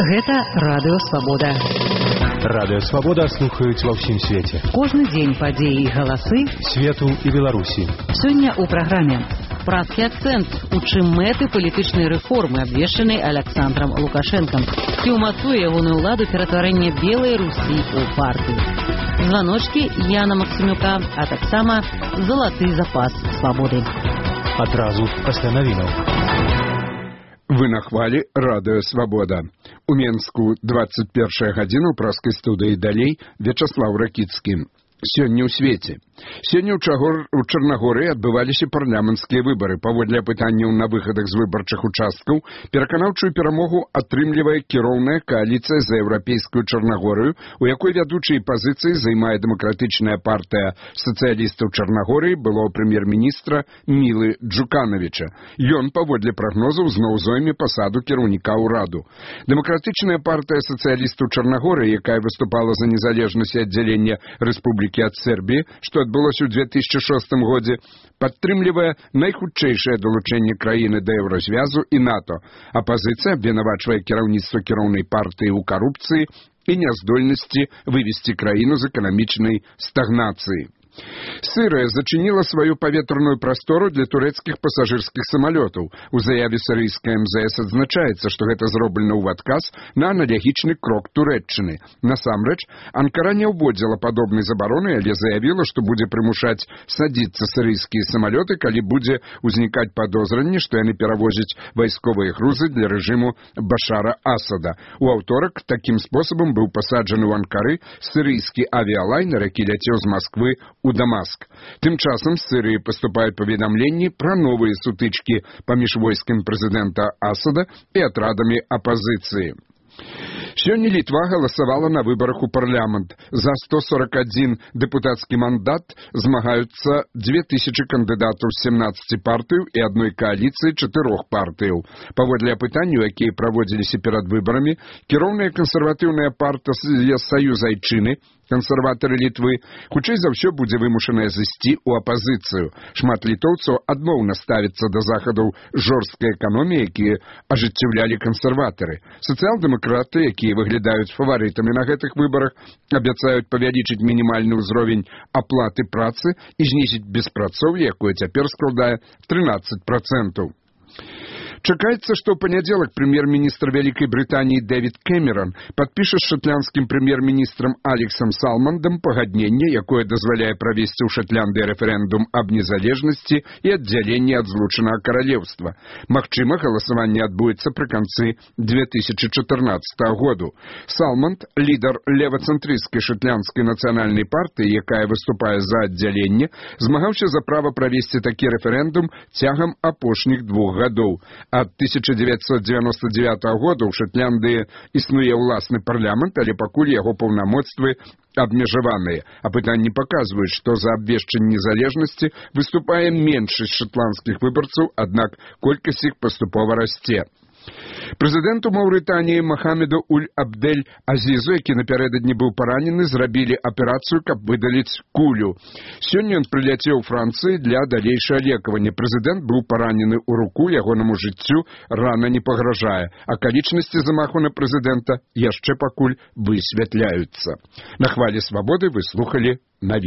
Гэта Радыё Свабода. Радыё Свабода слухаюць ва ўсім свеце. Кожны дзень падзеі і галасы свету і Беларусі. Сёння ў праграме «Прадскі акцэнт», у чым мэты палітычнай рэформы, абвешчанай Александром Лукашэнкам, ці ўмацуе ягоную ўладу ператварэнне Белай Русі ў партыю. Званочкі Яна Максімюка, а таксама залаты запас свабоды. Адразу пасля навінаў. Вы на хвалі Радыё Свабода. У Менску 21 гадзіна ў праскай студыі далей Вячаслаў Ракіцкі. Сёння ў свеце. Сёння ў Чарнагорыі адбываліся парламенцкія выбары. Паводле апытанняў на выхадах з выбарчых участкаў, пераканаўчую перамогу атрымлівае кіроўная кааліцыя за еўрапейскую Чарнагорыю, у якой вядучыя пазіцыі займае дэмакратычная партыя сацыялістаў Чарнагорыі былога прэм'ер-міністра Мілы Джуканавіча. Ён, паводле прагнозаў, зноў зойме пасаду кіраўніка ўраду. Дэмакратычная партыя сацыялістаў Чарнагорыі, якая выступала за незалежнасць і аддзяленне рэспублікі ад Сербіі, што адбылося ў 2006 годзе, падтрымлівае найхутчэйшае далучэнне краіны да Еўразвязу і НАТО. Апазіцыя абвінавачвае кіраўніцтва кіроўнай партыі ў карупцыі і няздольнасці вывесці краіну з эканамічнай стагнацыі. Сырыя зачыніла сваю паветраную прастору для турэцкіх пасажырскіх самалётаў. У заяве сірыйскай МЗС адзначаецца, што гэта зроблена ў адказ на аналагічны крок Турэччыны. Насамрэч, Анкара не ўводзіла падобнай забароны, але заявіла, што будзе прымушаць садзіцца сірыйскія самалёты, калі будзе ўзнікаць падозранне, што яны перавозяць вайсковыя грузы для рэжыму Башара Асада. У аўторак такім спосабам быў пасаджаны ў Анкары сірыйскі авіялайнер, які ляцеў з Масквы у Дамаск. Тым часам з Сырыі паступаюць паведамленні пра новыя сутычкі паміж войскам прэзідэнта Асада і атрадамі апазіцыі. Сёння Літва галасавала на выбарах у парламент. За 141 дэпутацкі мандат змагаюцца 2000 кандыдатаў з 17 партыяў і адной кааліцыі 4 партыяў. Паводле апытанняў, якія праводзіліся перад выбарамі, кіроўная кансерватыўная партыя Саюз Айчыны, кансерватары Літвы, хутчэй за ўсё будзе вымушаная зайсці ў апазіцыю. Шмат літоўцаў адмоўна ставіцца да захадаў жорсткай эканоміі, якія ажыццяўлялі кансерватары. Сацыял-дэмакраты, якія выглядаюць фаварытамі на гэтых выбарах, абяцаюць павялічыць мінімальны ўзровень аплаты працы і знізіць беспрацоўе, якое цяпер складае 13%. Чакаецца, што ў панядзелак прэм'ер-міністр Вялікай Брытаніі Дэвід Кэмерон падпіша з шатландскім прэм'ер-міністрам Алексам Салмандам пагадненне, якое дазваляе правесці ў Шатландыі рэферэндум аб незалежнасці і аддзяленні ад злучанага каралеўства. Магчыма, галасаванне адбудзецца пры канцы 2014 году. Салманд, лідар левацэнтрысцкай шатландскай нацыянальнай партыі, якая выступае за аддзяленне, змагаўся за права правесці такі рэферэндум цягам апошніх 2 гадоў. Ад 1999 года ў Шатландыі існуе ўласны парламент, але пакуль яго паўнамоцтвы абмежаваныя. Апытанні паказваюць, што за абвешчанне незалежнасці выступае меншасць шатландскіх выбарцаў, аднак колькасць іх паступова расце. Прэзідэнту Маўрытаніі Махамеду Уль-Абдель-Азізу, які напярэдадні быў паранены, зрабілі аперацыю, каб выдаліць кулю. Сёння ён прыляцеў у Францыі для далейшага лекавання. Прэзідэнт быў паранены ў руку, ягонаму жыццю рана не пагражае. Акалічнасці замаху на прэзідэнта яшчэ пакуль высвятляюцца. На хвалі свабоды вы слухалі навіны.